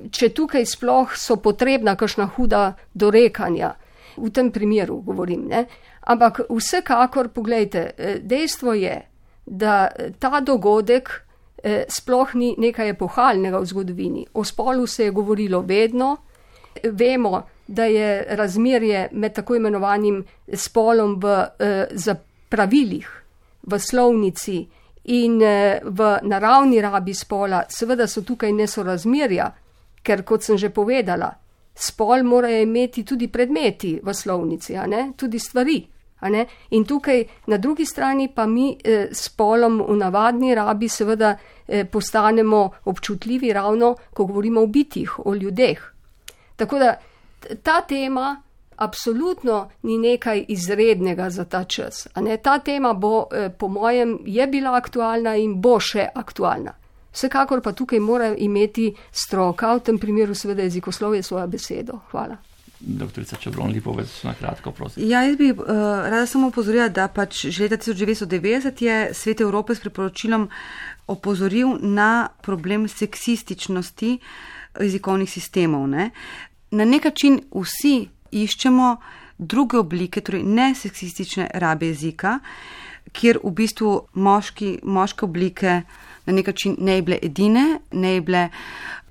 če tukaj sploh so potrebna kakšna huda dorekanja. V tem primeru govorim, ne? Ampak vsekakor, poglejte, dejstvo je, da ta dogodek sploh ni nekaj epohalnega v zgodovini. O spolu se je govorilo vedno, vemo, da je razmerje med tako imenovanim spolom v pravilih, v slovnici In v naravni rabi spola seveda so tukaj nesorazmerja, ker kot sem že povedala, spol morajo imeti tudi predmeti v slovnici, tudi stvari. In tukaj na drugi strani pa mi spolom v navadni rabi seveda postanemo občutljivi ravno, ko govorimo o bitjih, o ljudeh. Tako da ta tema absolutno ni nekaj izrednega za ta čas. Ta tema bo, po mojem, je bila aktualna in bo še aktualna. Vsekakor pa tukaj mora imeti stroka, v tem primeru seveda jezikoslovje, svojo besedo. Hvala. Doktorica Čebron Lipovec, na kratko, prosim. Ja, jaz bi rada samo opozorila, da pač že leta 1990 je Svet Evrope s priporočilom opozoril na problem seksističnosti jezikovnih sistemov. Ne? Na nek način vsi iščemo druge oblike, torej neseksistične rabe jezika, kjer v bistvu moške oblike na nek način ne bi bile edine, ne bi bile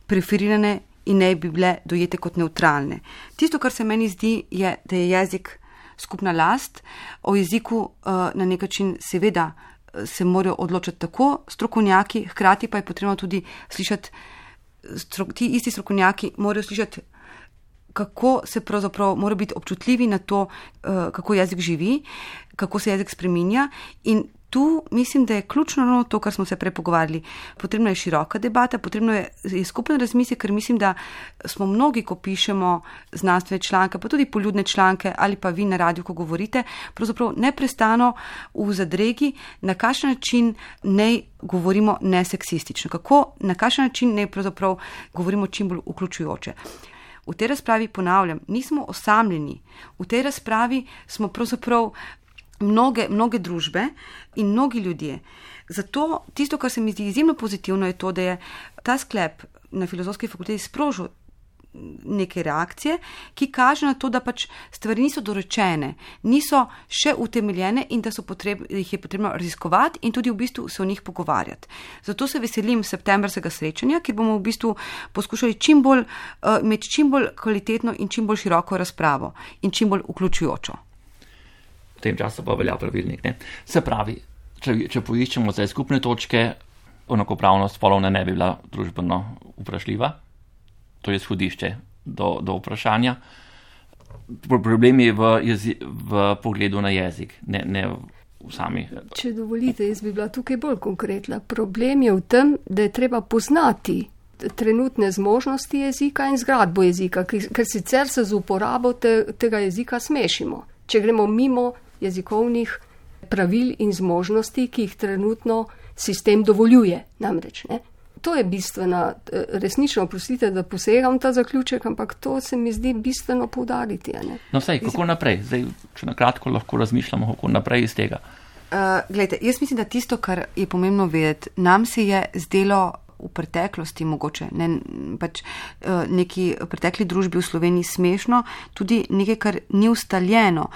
preferirane in ne bi bile dojete kot neutralne. Tisto, kar se meni zdi, je, da je jezik skupna last. O jeziku na nek način seveda se morajo odločiti tako strokovnjaki, hkrati pa je potrebno tudi slišati, ti isti strokovnjaki morajo slišati, kako se pravzaprav mora biti občutljivi na to, kako jezik živi, kako se jezik spreminja. In tu mislim, da je ključno to, kar smo se prej pogovarjali. Potrebna je široka debata, potrebno je skupen razmislek, ker mislim, da smo mnogi, ko pišemo znanstvene članke, pa tudi poljudne članke ali pa vi na radiju, ko govorite, pravzaprav neprestano v zadregi, na kakšen način ne govorimo neseksistično, na kakšen način ne pravzaprav govorimo čim bolj vključujoče. V tej razpravi, ponavljam, nismo osamljeni. V tej razpravi smo pravzaprav mnoge družbe in mnogi ljudje. Zato tisto, kar se mi zdi izjemno pozitivno, je to, da je ta sklep na Filozofski fakulteti sprožil neke reakcije, ki kaže na to, da pač stvari niso dorečene, niso še utemeljene in da jih je potrebno raziskovati in tudi v bistvu se o njih pogovarjati. Zato se veselim septembrskega srečanja, kjer bomo v bistvu poskušali imeti čim bolj kvalitetno in čim bolj široko razpravo in čim bolj vključujočo. V tem času pa velja pravilnik. Ne? Se pravi, če poiščemo zdaj skupne točke, enakopravnost spolov ne bi bila družbeno vprašljiva. To je izhodišče do vprašanja. Problem je v pogledu na jezik, ne v sami. Če dovolite, jaz bi bila tukaj bolj konkretna. Problem je v tem, da je treba poznati trenutne zmožnosti jezika in zgradbo jezika, ker sicer se z uporabo tega jezika smešimo. Če gremo mimo jezikovnih pravil in zmožnosti, ki jih trenutno sistem dovoljuje, namreč, ne? To je bistvena, resnično, oprostite, da posegam ta zaključek, ampak to se mi zdi bistveno poudariti. No vsej, kako naprej? Zdaj, če na kratko lahko razmišljamo, kako naprej iz tega. Glejte, jaz mislim, da tisto, kar je pomembno vedeti, nam se je zdelo v preteklosti mogoče, neki pretekli družbi v Sloveniji smešno, tudi nekaj, kar ni ustaljeno.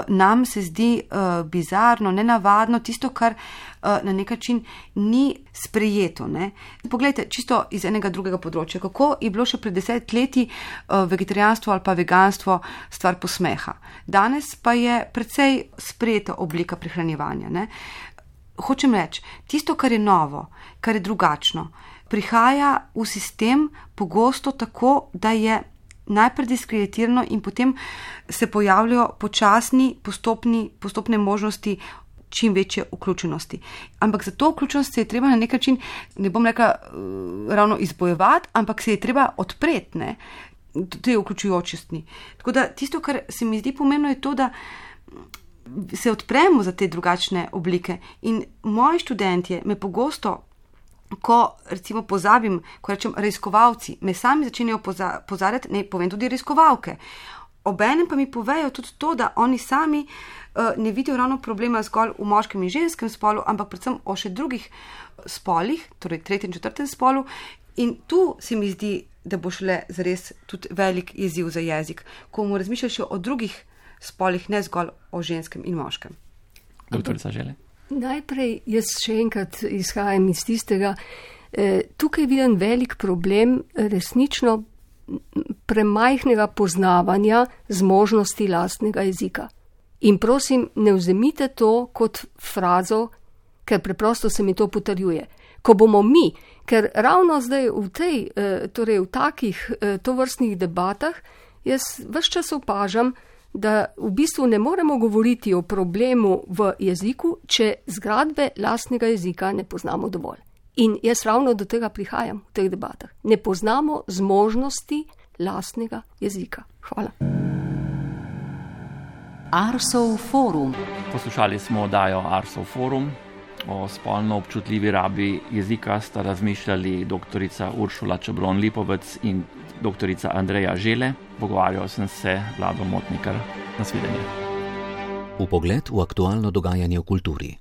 Nam se zdi bizarno, nenavadno, tisto, kar na nek način ni sprejeto. Ne? Poglejte, čisto iz enega drugega področja, kako je bilo še pred 10 leti vegetarijanstvo ali pa veganstvo stvar posmeha. Danes pa je precej sprejeta oblika prehranjevanja. Ne? Hočem reči, tisto, kar je novo, kar je drugačno, prihaja v sistem pogosto tako, da je najprej diskreditirano in potem se pojavljajo postopne možnosti čim večje vključenosti. Ampak za to vključenost se je treba na nek način, ne bom rekla ravno izbojevati, ampak se je treba odpreti, ne, te vključujočnosti. Tako da tisto, kar se mi zdi pomembno, je to, da se odpremo za te drugačne oblike. In moji študentje me pogosto, ko recimo pozabim, ko rečem raziskovalci, me sami začenjajo pozarjati, ne povem tudi raziskovalke. Obenem pa mi povejo tudi to, da oni sami ne vidijo ravno problema zgolj v moškem in ženskem spolu, ampak predvsem o še drugih spolih, torej 3. in 4. spolu. In tu se mi zdi, da bo šele zares tudi velik izziv za jezik, ko bomo razmišljali še o drugih spolih, ne zgolj o ženskem in moškem. Doktorica Žele? Najprej jaz še enkrat izhajam iz tistega, tukaj vidim velik problem resnično premajhnega poznavanja zmožnosti lastnega jezika. In prosim, ne vzemite to kot frazo, ker preprosto se mi to potrjuje. Ko bomo mi, ker ravno zdaj v takih tovrstnih debatah, jaz ves čas opažam, da v bistvu ne moremo govoriti o problemu v jeziku, če zgradbe lastnega jezika ne poznamo dovolj. In jaz ravno do tega prihajam v teh debatah. Ne poznamo zmožnosti lastnega jezika. Hvala. Arsov forum. Poslušali smo oddajo Arsov forum. O spolno občutljivi rabi jezika sta razmišljali doktorica Uršula Čeblon-Lipovec in doktorica Andreja Žele. Pogovarjal sem se Vlado Motnikar. Nasvidenje. Vpogled v aktualno dogajanje v kulturi.